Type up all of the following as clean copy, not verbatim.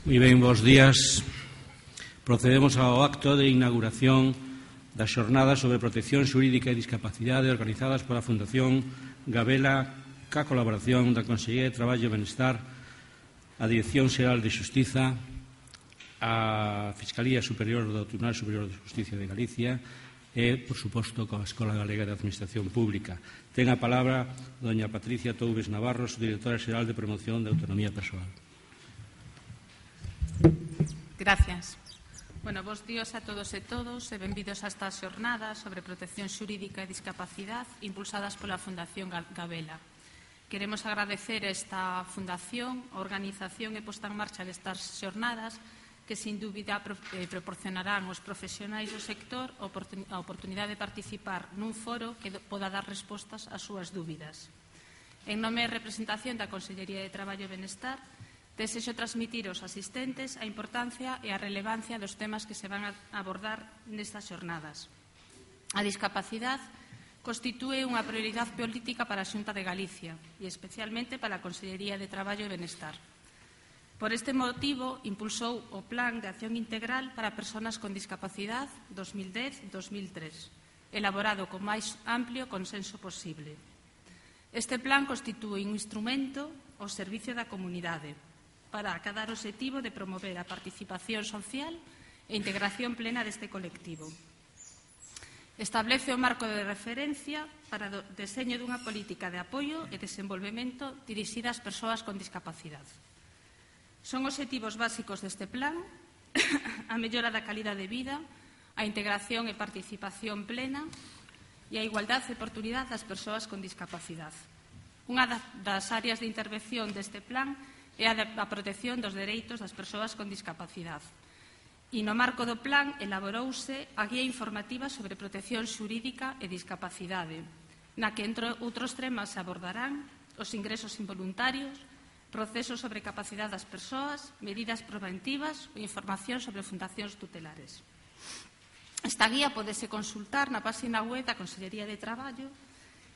Moi ben, bons días. Procedemos ao acto de inauguración das xornadas sobre protección xurídica e discapacidade organizadas pola Fundación Gabela ca colaboración da Consellería de Traballo e Benestar, a Dirección Xeral de Xustiza, a Fiscalía Superior do Tribunal Superior de Justicia de Galicia e, por suposto, coa Escola Galega de Administración Pública. Ten a palabra doña Patricia Toubes Navarro, Directora Xeral de Promoción de Autonomía Persoal. Gracias. Bueno, bons días a todos e todos e benvidos a estas xornadas sobre protección xurídica e discapacidade impulsadas pola Fundación Gabela. Queremos agradecer a esta fundación, a organización e posta en marcha destas xornadas que, sin dúbida, proporcionarán aos profesionais do sector a oportunidade de participar nun foro que poda dar respostas ás súas dúbidas. En nome e representación da Consellería de Traballo e Benestar, desexo transmitir aos asistentes a importancia e a relevancia dos temas que se van a abordar nestas xornadas. A discapacidade constitúe unha prioridade política para a Xunta de Galicia e especialmente para a Consellería de Traballo e Benestar. Por este motivo, impulsou o Plan de Acción Integral para Persoas con Discapacidade 2010-2003, elaborado con máis amplio consenso posible. Este plan constitúe un instrumento ao servicio da comunidade para acadar o obxectivo de promover a participación social e integración plena deste colectivo. Establece o marco de referencia para o deseño dunha política de apoio e desenvolvemento dirixida ás persoas con discapacidade. Son obxectivos básicos deste plan a mellora da calidade de vida, a integración e participación plena e a igualdade de oportunidade das persoas con discapacidade. Unha das áreas de intervención deste plan é a protección dos dereitos das persoas con discapacidade. E no marco do plan elaborouse a guía informativa sobre protección xurídica e discapacidade, na que, entre outros temas, se abordarán os ingresos involuntarios, procesos sobre capacidade das persoas, medidas preventivas ou información sobre fundacións tutelares. Esta guía pódese consultar na página web da Consellería de Traballo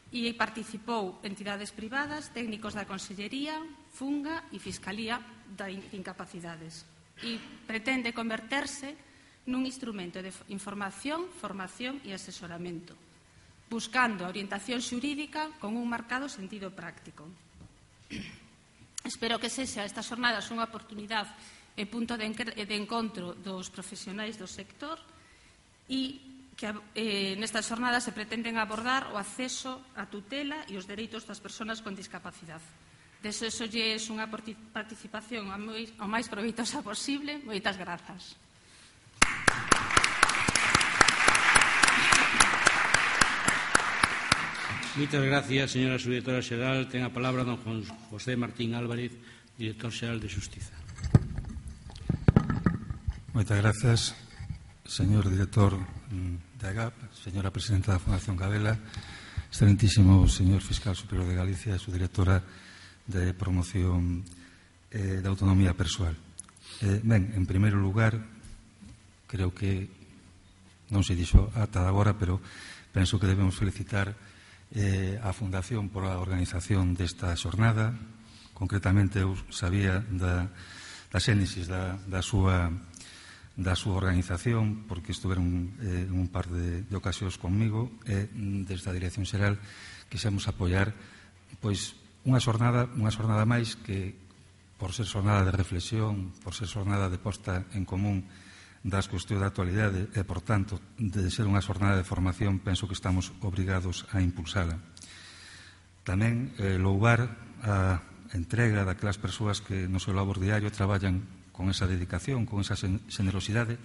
e participou entidades privadas, técnicos da Consellería, Funga e Fiscalía de Incapacidades e pretende converterse nun instrumento de información, formación e asesoramento, buscando a orientación xurídica con un marcado sentido práctico. Espero que sexa estas xornadas unha oportunidade e punto de encontro dos profesionais do sector e que nestas xornadas se pretenden abordar o acceso á tutela e os dereitos das persoas con discapacidade. Desexolles unha participación o máis proveitosa posible. Moitas grazas. Moitas gracias, señora Subdirectora Xeral. Ten a palabra don José Martín Álvarez, Director Xeral de Xustiza. Moitas gracias, señor Director da GAP, señora Presidenta da Fundación Gabela, excelentísimo señor Fiscal Superior de Galicia e Subdirectora de Promoción da Autonomía Persoal. Ben, en primeiro lugar, creo que non se dixo ata agora, pero penso que debemos felicitar a Fundación por a organización desta xornada. Concretamente, eu sabía da xénesis da súa organización, porque estuveron en un par de ocasións conmigo e desde a Dirección Xeral quixemos apoiar pois unha xornada máis que, por ser xornada de reflexión, por ser xornada de posta en común das cuestións da actualidade e, por tanto, de ser unha xornada de formación, penso que estamos obrigados a impulsala. Tamén louvar a entrega daquelas persoas que no seu labor diario traballan con esa dedicación, con esa xenerosidade,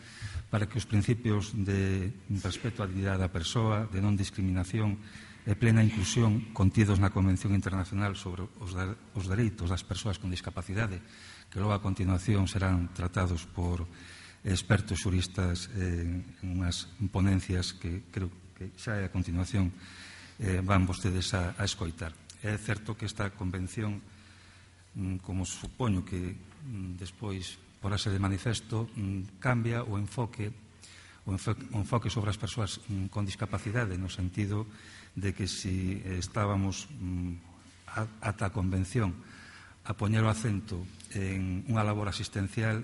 para que os principios de respeto á dignidade da persoa, de non discriminación e plena inclusión contidos na Convención Internacional sobre os dereitos das persoas con discapacidade, que logo a continuación serán tratados por expertos xuristas en unhas ponencias que creo que xa a continuación van vostedes a escoitar. É certo que esta convención, como supoño que despois porase de manifesto, cambia o enfoque sobre as persoas con discapacidade, no sentido de que si estábamos ata a convención a poñer o acento en unha labor asistencial,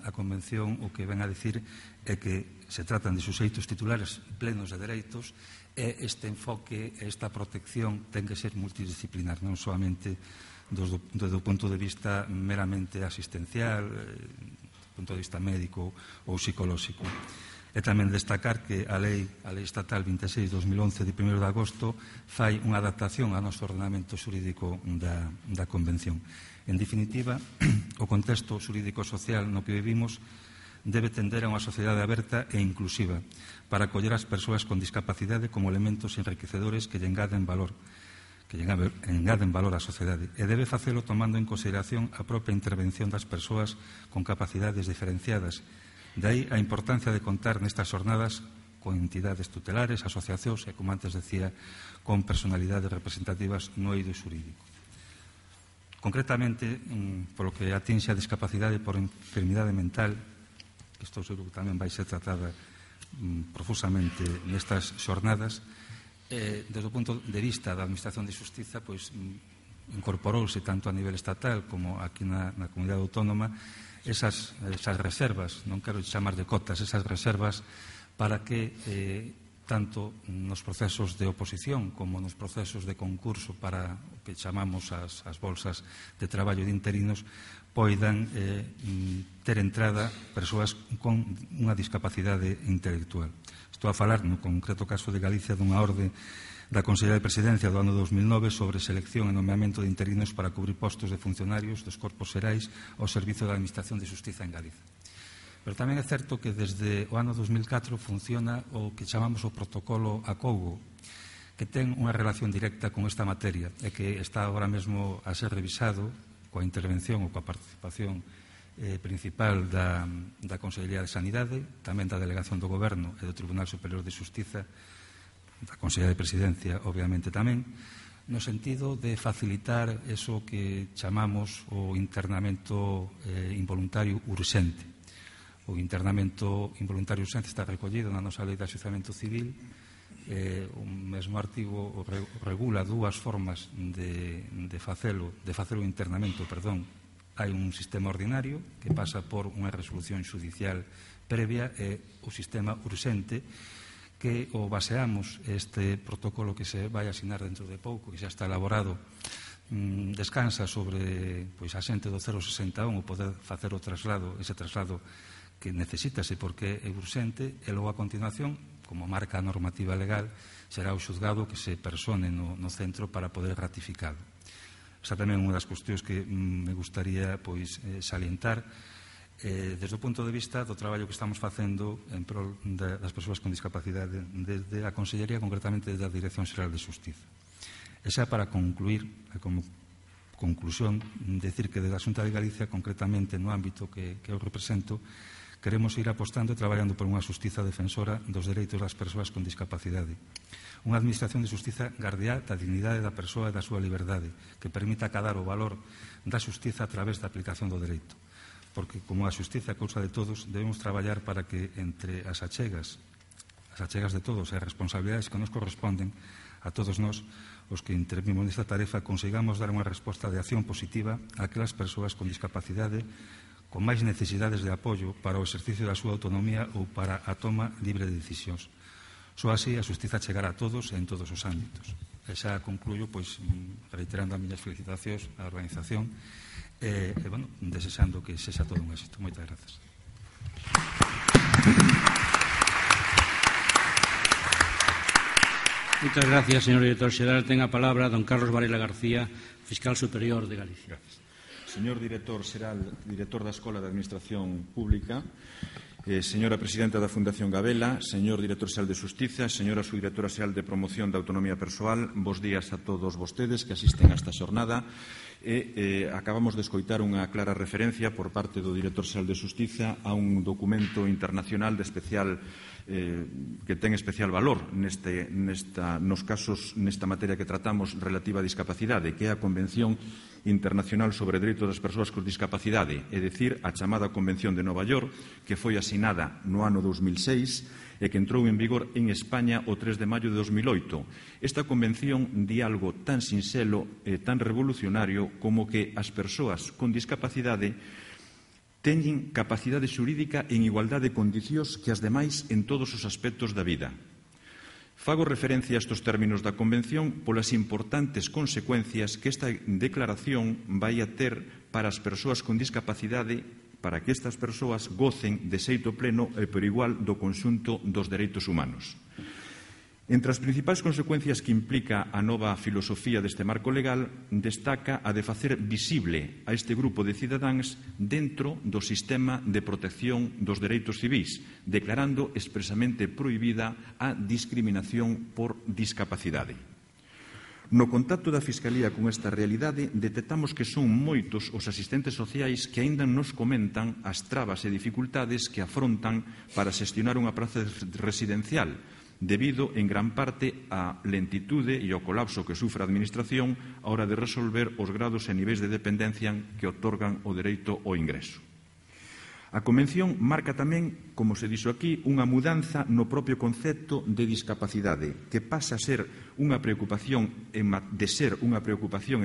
a Convención o que ven a dicir é que se tratan de suxeitos titulares plenos de dereitos e este enfoque, esta protección ten que ser multidisciplinar, non solamente desde o punto de vista meramente asistencial, do punto de vista médico ou psicolóxico. E tamén destacar que a Lei Estatal 26/2011 de 1 de agosto fai unha adaptación ao noso ordenamento xurídico da Convención. En definitiva, o contexto xurídico-social no que vivimos debe tender a unha sociedade aberta e inclusiva para acoller as persoas con discapacidade como elementos enriquecedores que lle engaden valor á sociedade e debe facelo tomando en consideración a propia intervención das persoas con capacidades diferenciadas. De aí a importancia de contar nestas jornadas con entidades tutelares, asociacións e, como antes decía, con personalidades representativas no eido xurídico. Concretamente, polo que atinxe a discapacidade por enfermidade mental, que isto seguro que tamén vai ser tratada profusamente nestas jornadas, desde o punto de vista da Administración de Xustiza, pois incorporouse tanto a nivel estatal como aquí na comunidade autónoma esas reservas, non quero chamar de cotas, esas reservas para que tanto nos procesos de oposición como nos procesos de concurso para o que chamamos as bolsas de traballo de interinos poidan ter entrada persoas con unha discapacidade intelectual. Estou a falar no concreto caso de Galicia dunha orde da Consellería de Presidencia do ano 2009 sobre selección e nomeamento de interinos para cubrir postos de funcionarios dos corpos xerais ao servizo da Administración de Xustiza en Galicia. Pero tamén é certo que desde o ano 2004 funciona o que chamamos o protocolo Acougo, que ten unha relación directa con esta materia e que está agora mesmo a ser revisado coa intervención ou coa participación principal da Consellería de Sanidade, tamén da Delegación do Goberno e do Tribunal Superior de Xustiza, da Consellería de Presidencia, obviamente tamén, no sentido de facilitar eso que chamamos o internamento involuntario urxente. O internamento involuntario urxente está recollido na nosa Lei de Axuizamento Civil. O mesmo artigo regula dúas formas de facelo internamento, perdón. Hai un sistema ordinario que pasa por unha resolución xudicial previa e o sistema urxente que o baseamos este protocolo que se vai asinar dentro de pouco, que xa está elaborado, descansa sobre a xente do 061 o poder facer o traslado, ese traslado que necesítase porque é urxente, e logo a continuación, como marca a normativa legal, será o xuzgado que se persone no centro para poder ratificado. Esa tamén é unha das cuestións que me gustaría salientar desde o punto de vista do traballo que estamos facendo en prol das persoas con discapacidade desde a Consellería, concretamente desde a Dirección Xeral de Xustiza. Esa para concluir, como conclusión, decir que desde a Xunta de Galicia, concretamente no ámbito que eu represento, queremos ir apostando e traballando por unha xustiza defensora dos dereitos das persoas con discapacidade. Unha administración de xustiza gardiá da dignidade da persoa e da súa liberdade, que permita acadar o valor da xustiza a través da aplicación do dereito. Porque, como a xustiza é cousa de todos, debemos traballar para que entre as achegas de todos e as responsabilidades que nos corresponden a todos nós, os que intervimos nesta tarefa, consigamos dar unha resposta de acción positiva a aquelas persoas con discapacidade con máis necesidades de apoio para o exercicio da súa autonomía ou para a toma libre de decisións. Só así a xustiza chegará a todos e en todos os ámbitos. E xa concluyo, reiterando as miñas felicitacións á organización e desexando que sexa todo un éxito. Moitas grazas. Moitas gracias, señor director xeral. Ten a palabra don Carlos Varela García, fiscal superior de Galicia. Gracias. Señor director xeral, director da Escola de Administración Pública, señora presidenta da Fundación Gabela, señor director xeral de Xustiza, señora subdirectora xeral de Promoción da Autonomía Persoal, bos días a todos vostedes que asisten a esta xornada. Acabamos de escoitar unha clara referencia por parte do director xeral de Xustiza a un documento internacional de especial que ten especial valor nesta materia que tratamos relativa á discapacidade, que é a Convención Internacional sobre Dereitos das Persoas con Discapacidade, é dicir, a chamada Convención de Nova York, que foi asinada no ano 2006 e que entrou en vigor en España o 3 de maio de 2008. Esta convención di algo tan sinxelo e tan revolucionario como que as persoas con discapacidade teñen capacidade xurídica en igualdade de condicións que as demais en todos os aspectos da vida. Fago referencia a estes términos da Convención polas importantes consecuencias que esta declaración vai a ter para as persoas con discapacidade, para que estas persoas gocen de xeito pleno e por igual do conxunto dos dereitos humanos. Entre as principais consecuencias que implica a nova filosofía deste marco legal, destaca a de facer visible a este grupo de cidadáns dentro do sistema de protección dos dereitos civís, declarando expresamente prohibida a discriminación por discapacidade. No contacto da Fiscalía con esta realidade, detectamos que son moitos os asistentes sociais que aínda nos comentan as trabas e dificultades que afrontan para xestionar unha praza residencial, debido en gran parte á lentitude e ao colapso que sufre a Administración á hora de resolver os grados e niveis de dependencia que outorgan o dereito ao ingreso. A Convención marca tamén, como se dixo aquí, unha mudanza no propio concepto de discapacidade, que pasa a ser unha preocupación en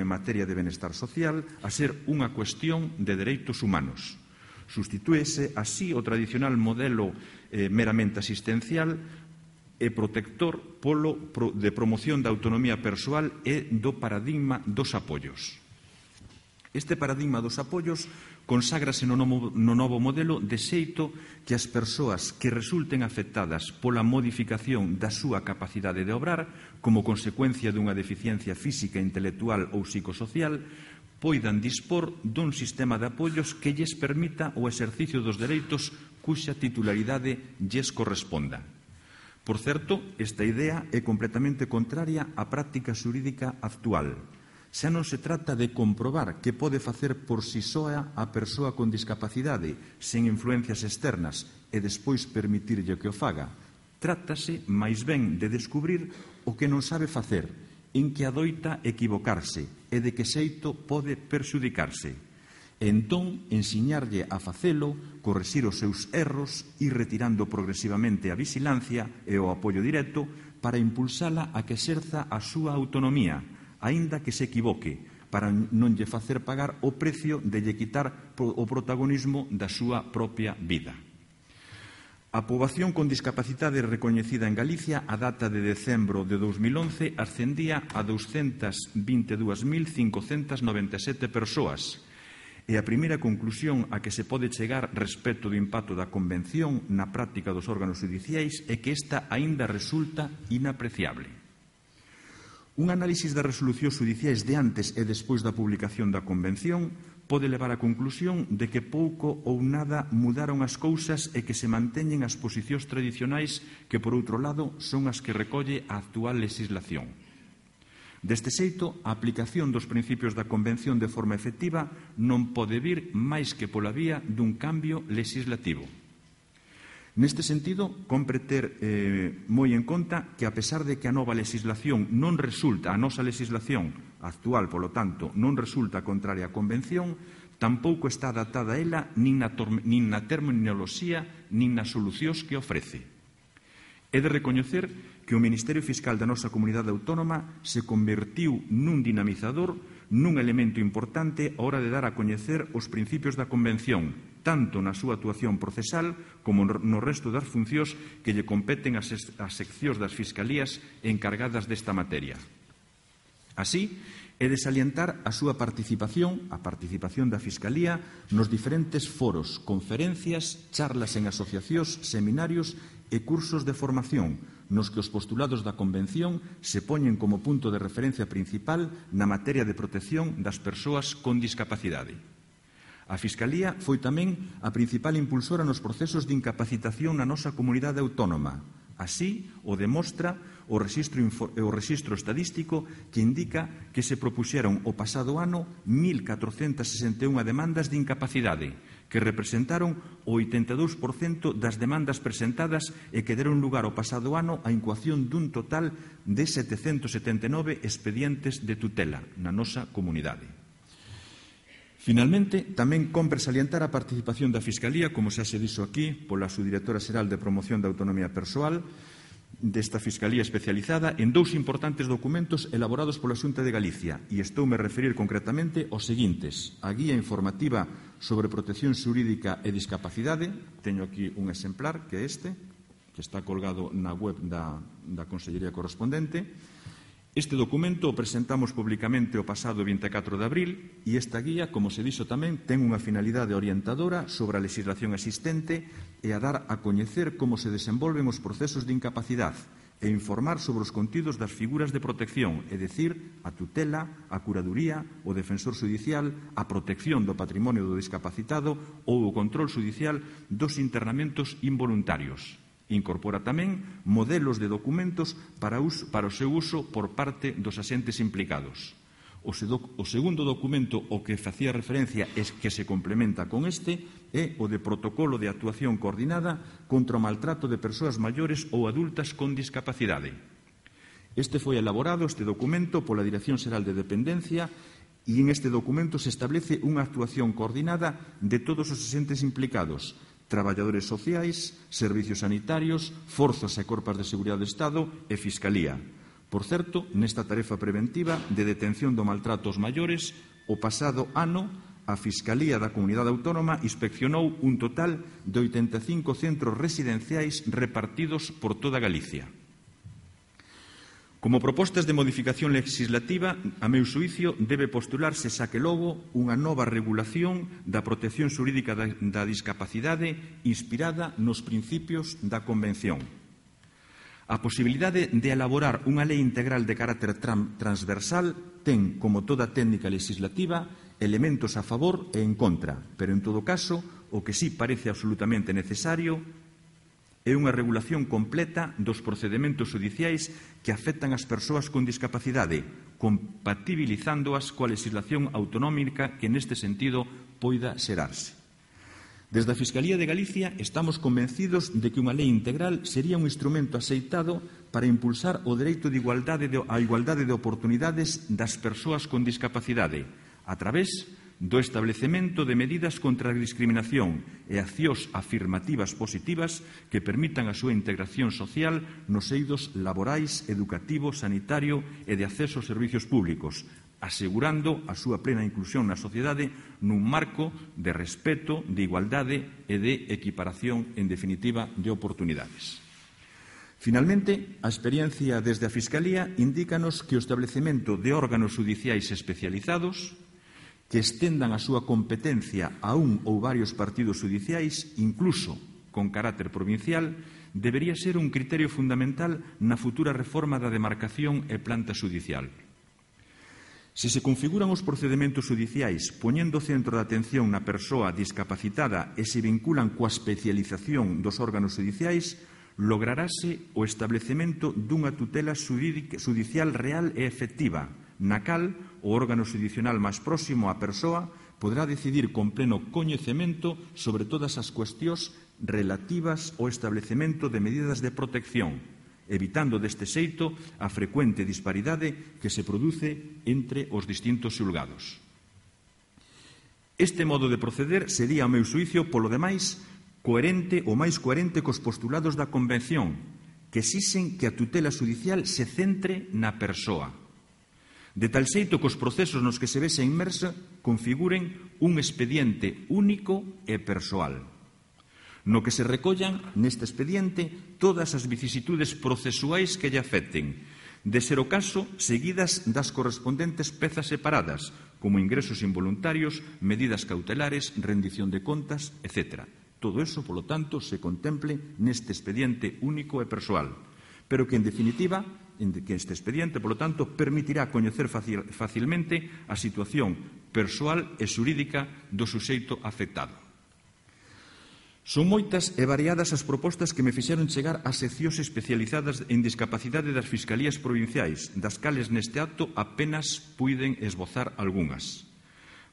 materia de benestar social a ser unha cuestión de dereitos humanos. Sustitúese así o tradicional modelo meramente asistencial e protector de promoción da autonomía persoal e do paradigma dos apoios. Este paradigma dos apoios conságrase no novo modelo de xeito que as persoas que resulten afectadas pola modificación da súa capacidade de obrar como consecuencia dunha deficiencia física, intelectual ou psicosocial poidan dispor dun sistema de apoios que lles permita o exercicio dos dereitos cuxa titularidade lles corresponda. Por certo, esta idea é completamente contraria á práctica xurídica actual. Xa non se trata de comprobar que pode facer por si soa a persoa con discapacidade sen influencias externas e despois permitirlle que o faga. Trátase, máis ben, de descubrir o que non sabe facer, en que adoita equivocarse e de que xeito pode perxudicarse. E entón, ensiñarlle a facelo, corrixir os seus erros e retirando progresivamente a vigilancia e o apoio directo para impulsala a que exerza a súa autonomía, aínda que se equivoque, para non lle facer pagar o precio de lle quitar o protagonismo da súa propia vida. A poboación con discapacidade recoñecida en Galicia a data de decembro de 2011 ascendía a 222.597 persoas, e a primeira conclusión a que se pode chegar respecto do impacto da Convención na práctica dos órganos judiciais é que esta aínda resulta inapreciable. Un análisis das resolucións judiciais de antes e despois da publicación da Convención pode levar á conclusión de que pouco ou nada mudaron as cousas e que se manteñen as posicións tradicionais que, por outro lado, son as que recolle a actual legislación. Deste xeito, a aplicación dos principios da Convención de forma efectiva non pode vir máis que pola vía dun cambio legislativo. Neste sentido, compre ter moi en conta que, a pesar de que a nova legislación non resulta, a nosa legislación actual, polo tanto, non resulta contraria á Convención, tampouco está adaptada a ela nin na terminoloxía nin nas solucións que ofrece. É de recoñecer que o Ministerio Fiscal da nosa comunidade autónoma se convertiu nun dinamizador, nun elemento importante á hora de dar a coñecer os principios da Convención, tanto na súa actuación procesal como no resto das funcións que lle competen ás seccións das Fiscalías encargadas desta materia. Así, é de salientar a súa participación, a participación da Fiscalía, nos diferentes foros, conferencias, charlas en asociacións, seminarios e cursos de formación, nos que os postulados da Convención se poñen como punto de referencia principal na materia de protección das persoas con discapacidade. A Fiscalía foi tamén a principal impulsora nos procesos de incapacitación na nosa comunidade autónoma, Así o demostra o rexistro estadístico que indica que se propuxeron o pasado ano 1.461 demandas de incapacidade, que representaron o 82% das demandas presentadas e que deron lugar o pasado ano á incoación dun total de 779 expedientes de tutela na nosa comunidade. Finalmente, tamén cómpre salientar a participación da Fiscalía, como xa se dixo aquí, pola subdirectora xeral de Promoción da Autonomía Persoal, desta Fiscalía especializada, en dous importantes documentos elaborados pola Xunta de Galicia, e estoume a referir concretamente aos seguintes: a Guía Informativa sobre Protección Xurídica e Discapacidade, teño aquí un exemplar, que é este, que está colgado na web da Consellería correspondente. Este documento o presentamos publicamente o pasado 24 de abril e esta guía, como se dixo tamén, ten unha finalidade orientadora sobre a legislación existente e a dar a coñecer como se desenvolven os procesos de incapacidade e informar sobre os contidos das figuras de protección, é dicir, a tutela, a curaduría, o defensor xudicial, a protección do patrimonio do discapacitado ou o control xudicial dos internamentos involuntarios. Incorpora tamén modelos de documentos para o seu uso por parte dos axentes implicados. O segundo documento ao que facía referencia e que se complementa con este é o de protocolo de actuación coordinada contra o maltrato de persoas maiores ou adultas con discapacidade. Este foi elaborado, este documento, pola Dirección Xeral de Dependencia e en este documento se establece unha actuación coordinada de todos os axentes implicados, traballadores sociais, servicios sanitarios, forzas e corpas de seguridade do Estado e Fiscalía. Por certo, nesta tarefa preventiva de detención do maltrato aos maiores, o pasado ano a Fiscalía da Comunidade Autónoma inspeccionou un total de 85 centros residenciais repartidos por toda Galicia. Como propostas de modificación legislativa, a meu xuicio, debe postularse xa que logo unha nova regulación da protección xurídica da discapacidade inspirada nos principios da Convención. A posibilidade de elaborar unha lei integral de carácter transversal ten, como toda técnica legislativa, elementos a favor e en contra, pero en todo caso, o que sí parece absolutamente necesario é unha regulación completa dos procedementos xudiciais que afectan as persoas con discapacidade, compatibilizándoas coa legislación autonómica que neste sentido poida xerarse. Desde a Fiscalía de Galicia estamos convencidos de que unha lei integral sería un instrumento axeitado para impulsar o dereito de igualdade de oportunidades das persoas con discapacidade a través do establecemento de medidas contra a discriminación e accións afirmativas positivas que permitan a súa integración social nos eidos laborais, educativo, sanitario e de acceso aos servicios públicos, asegurando a súa plena inclusión na sociedade nun marco de respeto, de igualdade e de equiparación, en definitiva, de oportunidades. Finalmente, a experiencia desde a Fiscalía indícanos que o establecemento de órganos xudiciais especializados que estendan a súa competencia a un ou varios partidos xudiciais, incluso con carácter provincial, debería ser un criterio fundamental na futura reforma da demarcación e planta xudicial. Se se configuran os procedementos xudiciais poñendo o centro de atención na persoa discapacitada e se vinculan coa especialización dos órganos xudiciais, lograrase o establecemento dunha tutela xudicial real e efectiva, na cal o órgano xudicial máis próximo á persoa poderá decidir con pleno coñecemento sobre todas as cuestións relativas ao establecemento de medidas de protección, evitando deste xeito a frecuente disparidade que se produce entre os distintos xulgados. Este modo de proceder sería, ao meu xuicio, polo demais, o máis coherente cos postulados da Convención, que exixen que a tutela xudicial se centre na persoa, de tal xeito que os procesos nos que se vexe inmersa configuren un expediente único e persoal, no que se recollan neste expediente todas as vicisitudes procesuais que lle afecten, de ser o caso, seguidas das correspondentes pezas separadas, como ingresos involuntarios, medidas cautelares, rendición de contas, etc. Todo eso, polo tanto, se contemple neste expediente único e persoal, pero que, en definitiva, que este expediente, polo tanto, permitirá coñecer facilmente a situación persoal e xurídica do suxeito afectado. Son moitas e variadas as propostas que me fixeron chegar ás seccións especializadas en discapacidade das Fiscalías Provinciais, das cales neste acto apenas puiden esbozar algunhas.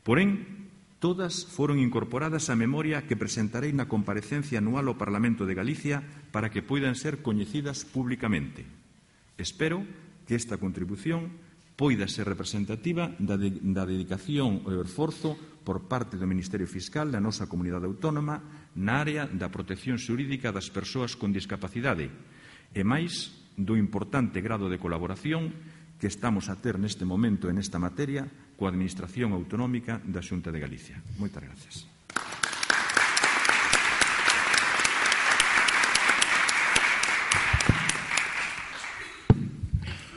Porén, todas foron incorporadas á memoria que presentarei na comparecencia anual ao Parlamento de Galicia para que poidan ser coñecidas públicamente. Espero que esta contribución poida ser representativa da dedicación e o esforzo por parte do Ministerio Fiscal da nosa comunidade autónoma na área da protección xurídica das persoas con discapacidade e máis do importante grado de colaboración que estamos a ter neste momento en esta materia coa Administración Autonómica da Xunta de Galicia. Moitas gracias.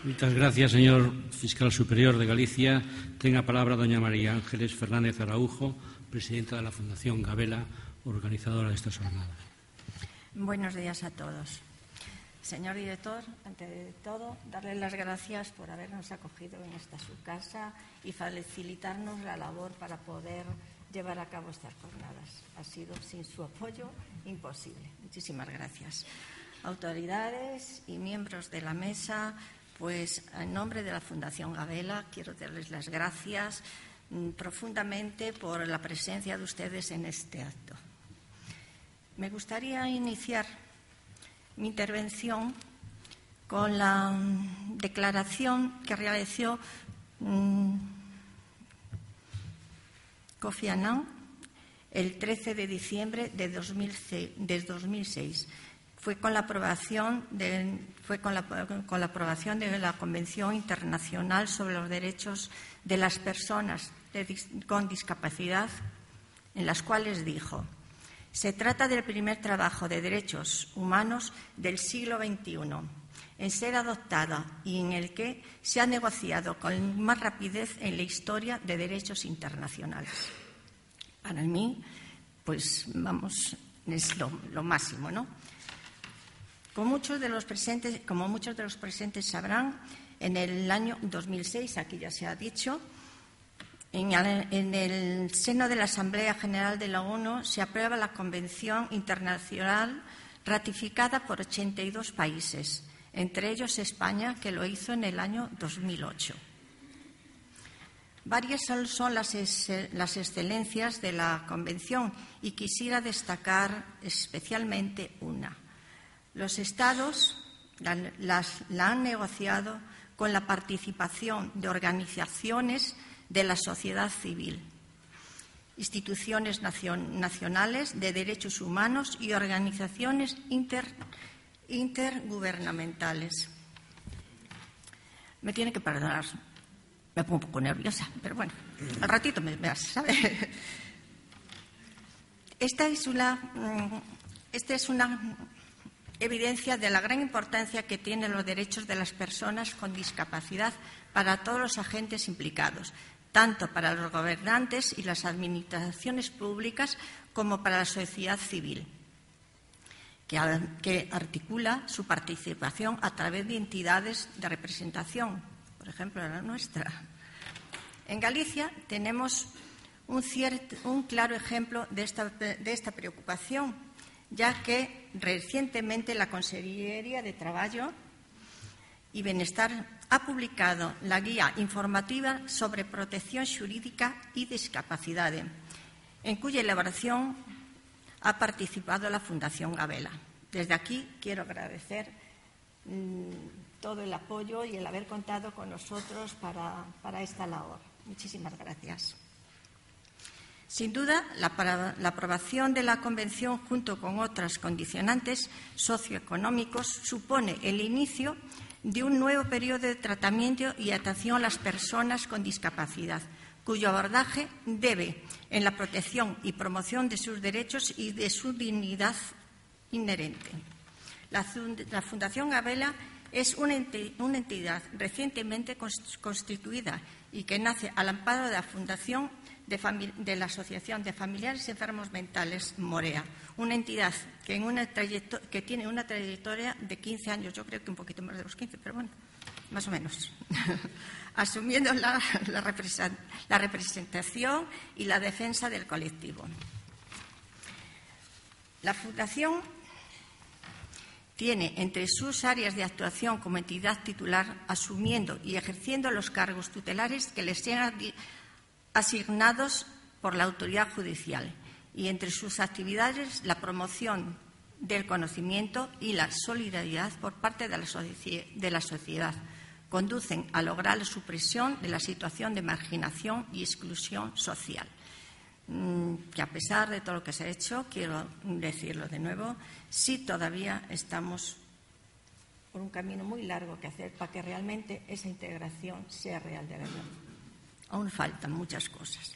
Muchas gracias, señor Fiscal Superior de Galicia. Ten a palabra doña María Ángeles Fernández Araujo, presidenta de la Fundación Gabela, organizadora de estas jornadas. Buenos días a todos. Señor director, ante de todo, darle las gracias por habernos acogido en esta su casa y facilitarnos la labor para poder llevar a cabo estas jornadas. Ha sido, sin su apoyo, imposible. Muchísimas gracias. Autoridades y miembros de la mesa, pues en nombre de la Fundación Gabela quiero darles las gracias profundamente por la presencia de ustedes en este acto. Me gustaría iniciar mi intervención con la declaración que realizó Kofi Annan el 13 de diciembre de 2006. Fue con la aprobación de la Convención Internacional sobre los Derechos de las Personas con Discapacidad, en las cuales dijo: se trata del primer trabajo de derechos humanos del siglo XXI en ser adoptada y en el que se ha negociado con más rapidez en la historia de derechos internacionales. Para mí, pues vamos, es lo máximo, ¿no? Como muchos de los presentes sabrán, en el año 2006, aquí ya se ha dicho, en el seno de la Asamblea General de la ONU se aprueba la Convención Internacional ratificada por 82 países, entre ellos España, que lo hizo en el año 2008. Varias son las excelencias de la Convención y quisiera destacar especialmente una. Los Estados la han negociado con la participación de organizaciones de la sociedad civil, instituciones nacionales de derechos humanos y organizaciones intergubernamentales. Me tiene que perdonar, me pongo un poco nerviosa, pero bueno, al ratito me ¿sabe? Esta es una evidencia de la gran importancia que tienen los derechos de las personas con discapacidad para todos los agentes implicados, tanto para los gobernantes y las administraciones públicas como para la sociedad civil, que articula su participación a través de entidades de representación, por ejemplo, la nuestra. En Galicia tenemos un claro ejemplo de esta preocupación, ya que recientemente la Consellería de Traballo y Benestar ha publicado la Guía Informativa sobre Protección Xurídica y Discapacidad, en cuya elaboración ha participado la Fundación Gabela. Desde aquí quiero agradecer todo el apoyo y el haber contado con nosotros para esta labor. Muchísimas gracias. Sin duda, la aprobación de la Convención, junto con otras condicionantes socioeconómicos, supone el inicio de un nuevo periodo de tratamiento y atención a las personas con discapacidad, cuyo abordaje debe en la protección y promoción de sus derechos y de su dignidad inherente. La Fundación Gabela es una entidad recientemente constituida y que nace al amparo de la Fundación de la Asociación de Familiares Enfermos Mentales Morea, una entidad que tiene una trayectoria de 15 años, yo creo que un poquito más de los 15, pero bueno, más o menos, asumiendo la representación y la defensa del colectivo. La Fundación tiene entre sus áreas de actuación como entidad titular asumiendo y ejerciendo los cargos tutelares que les sean asignados por la autoridad judicial y entre sus actividades la promoción del conocimiento y la solidaridad por parte de la sociedad conducen a lograr la supresión de la situación de marginación y exclusión social. Que a pesar de todo lo que se ha hecho, quiero decirlo de nuevo, sí todavía estamos por un camino muy largo que hacer para que realmente esa integración sea real de verdad. Aún faltan muchas cosas.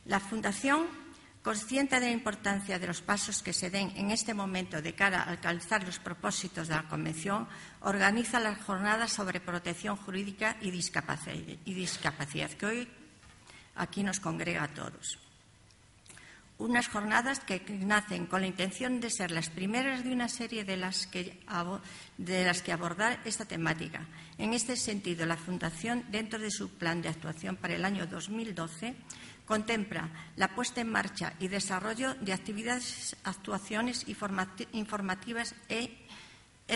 La Fundación, consciente de la importancia de los pasos que se den en este momento de cara a alcanzar los propósitos de la Convención, organiza las jornadas sobre protección jurídica y discapacidad, que hoy aquí nos congrega a todos. Unas jornadas que nacen con la intención de ser las primeras de una serie de las que abordar esta temática. En este sentido, la Fundación, dentro de su plan de actuación para el año 2012, contempla la puesta en marcha y desarrollo de actividades, actuaciones informativas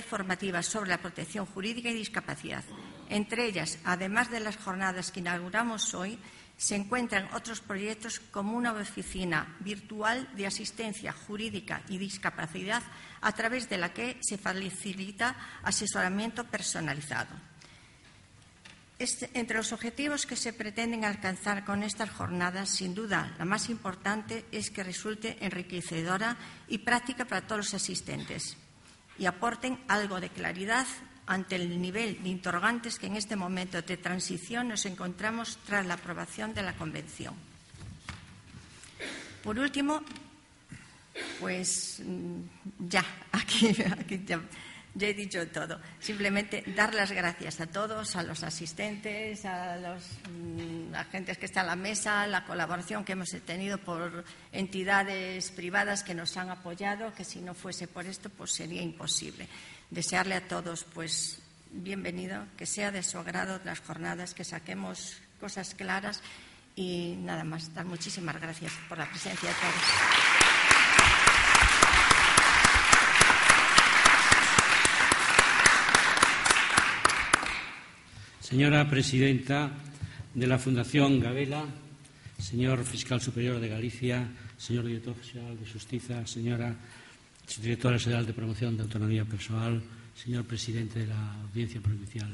formativas sobre la protección jurídica y discapacidad. Entre ellas, además de las jornadas que inauguramos hoy, se encuentran otros proyectos como una oficina virtual de asistencia jurídica y discapacidad a través de la que se facilita asesoramiento personalizado. Entre los objetivos que se pretenden alcanzar con estas jornadas, sin duda, la más importante es que resulte enriquecedora y práctica para todos los asistentes y aporten algo de claridad ante el nivel de interrogantes que en este momento de transición nos encontramos tras la aprobación de la Convención. Por último, pues ya he dicho todo. Simplemente dar las gracias a todos, a los asistentes, a los agentes que están a la mesa, la colaboración que hemos tenido por entidades privadas que nos han apoyado, que si no fuese por esto, pues sería imposible. Desearle a todos, pues, bienvenido, que sea de su agrado las jornadas, que saquemos cosas claras y nada más. Dar muchísimas gracias por la presencia de todos. Señora presidenta de la Fundación Gabela, señor fiscal superior de Galicia, señor director general de Xustiza, señora directora xeral de Promoción de Autonomía Persoal, señor presidente de la Audiencia Provincial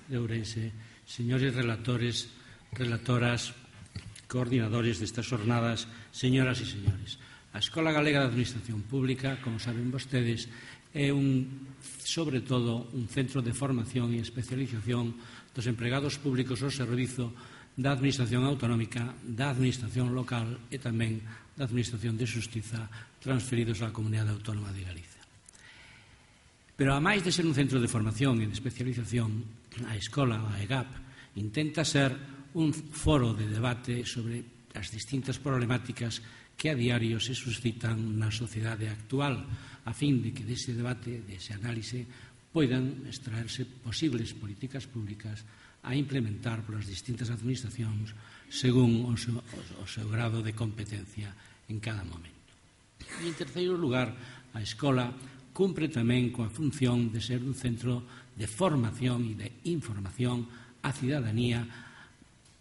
de Ourense, señores relatores, relatoras, coordinadores destas jornadas, señoras e señores. A Escola Galega de Administración Pública, como saben vostedes, é sobre todo un centro de formación e especialización dos empregados públicos ao servizo da Administración Autonómica, da Administración Local e tamén da Administración de Xustiza transferidos á Comunidade Autónoma de Galicia. Pero, a máis de ser un centro de formación e de especialización, a Escola, a EGAP, intenta ser un foro de debate sobre as distintas problemáticas que a diario se suscitan na sociedade actual, a fin de que dese debate, dese análise, poidan extraerse posibles políticas públicas a implementar polas distintas administracións según o seu grado de competencia en cada momento. E, en terceiro lugar, a Escola cumpre tamén coa función de ser un centro de formación e de información á cidadanía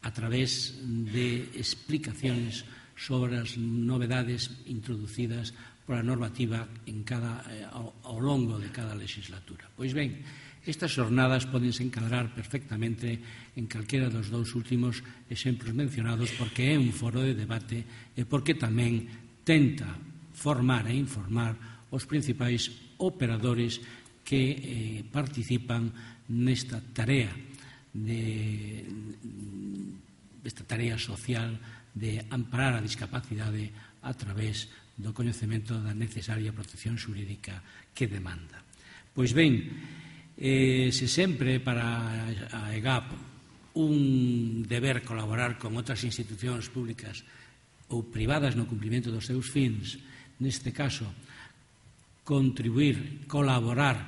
a través de explicaciones sobre as novedades introducidas pola normativa ao longo de cada legislatura. Pois ben, estas xornadas podense encadrar perfectamente en calquera dos dous últimos exemplos mencionados porque é un foro de debate e porque tamén tenta formar e informar os principais operadores que participan nesta tarea social de amparar a discapacidade a través do coñecemento da necesaria protección xurídica que demanda. Pois ben, se sempre para a EGAP un deber colaborar con outras institucións públicas ou privadas no cumprimento dos seus fins, neste caso, contribuir, colaborar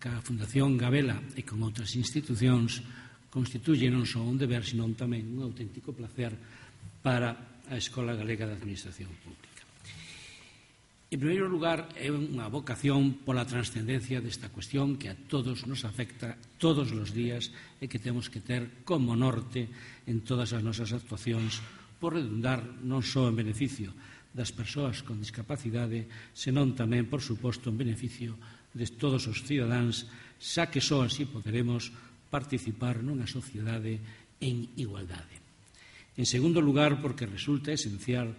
ca Fundación Gabela e con outras institucións, constituye non só un deber, senón tamén un auténtico placer para a Escola Galega de Administración Pública. En primeiro lugar, é unha vocación pola transcendencia desta cuestión que a todos nos afecta todos os días e que temos que ter como norte en todas as nosas actuacións por redundar non só en beneficio das persoas con discapacidade, senón tamén, por suposto, en beneficio de todos os cidadáns, xa que só así poderemos participar nunha sociedade en igualdade. En segundo lugar, porque resulta esencial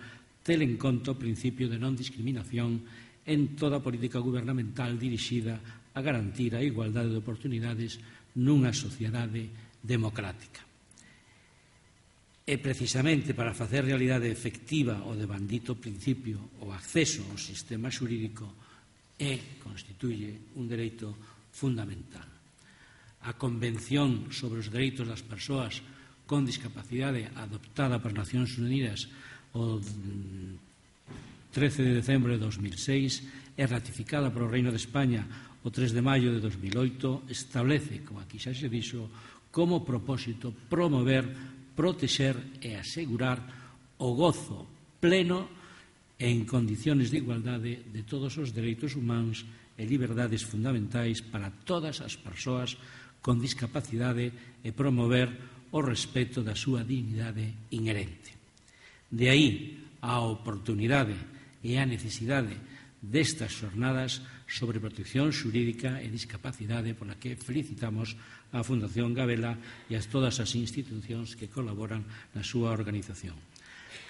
ter en conta o principio de non discriminación en toda a política gubernamental dirixida a garantir a igualdade de oportunidades nunha sociedade democrática. E precisamente para facer realidade efectiva o devandito principio o acceso ao sistema xurídico constituye un dereito fundamental. A Convención sobre os Dereitos das Persoas con Discapacidade adoptada por Nacións Unidas o 13 de decembro de 2006 e ratificada polo Reino de España o 3 de maio de 2008 establece, como aquí xa se dixo, como propósito promover, protexer e asegurar o gozo pleno en condiciones de igualdade de todos os dereitos humanos e liberdades fundamentais para todas as persoas con discapacidade e promover o respeto da súa dignidade inherente. De aí a oportunidade e a necesidade destas xornadas sobre protección xurídica e discapacidade pola que felicitamos a Fundación Gabela e a todas as institucións que colaboran na súa organización.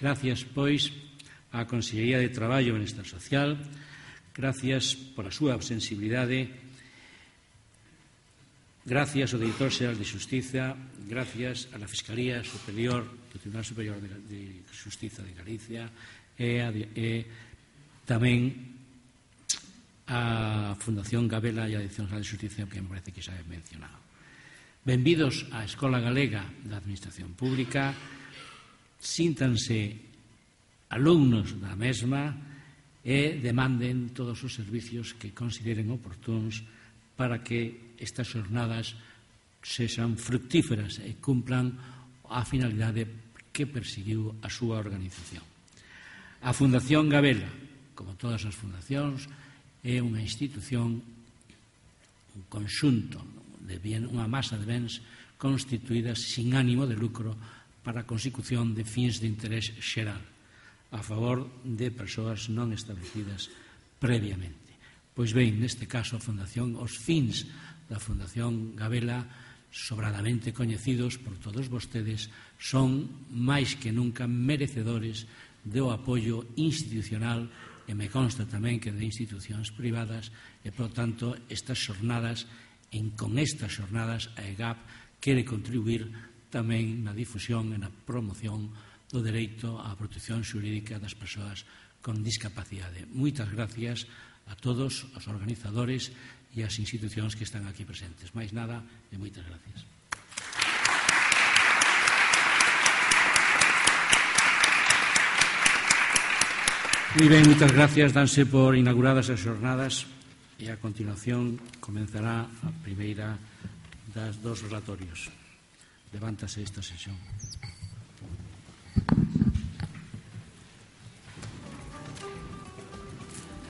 Gracias, pois, á Consellería de Traballo e Benestar Social, gracias pola súa sensibilidade, gracias ao Director Xeral de Xustiza, gracias a la Fiscalía Superior do Tribunal Superior de Xustiza de Galicia e tamén a Fundación Gabela e a Dirección Xeral de Xustiza, que me parece que xa he mencionado. Benvidos á Escola Galega da Administración Pública, síntanse alumnos da mesma e demanden todos os servicios que consideren oportunos para que estas xornadas sexan fructíferas e cumplan a finalidade que perseguiu a súa organización. A Fundación Gabela, como todas as fundacións, é unha institución, un conxunto, unha masa de bens constituídas sin ánimo de lucro para a consecución de fins de interés xeral a favor de persoas non establecidas previamente. Pois ben, neste caso, os fins da Fundación Gabela, sobradamente coñecidos por todos vostedes, son máis que nunca merecedores do apoio institucional e me consta tamén que de institucións privadas e, por tanto, con estas xornadas a EGAP quere contribuir tamén na difusión e na promoción do dereito á protección xurídica das persoas con discapacidade. Moitas gracias a todos os organizadores e as institucións que están aquí presentes. Máis nada e moitas gracias. Moi ben, moitas gracias. Danse por inauguradas as xornadas e a continuación comenzará a primeira das dos relatorios. Levántase esta sesión.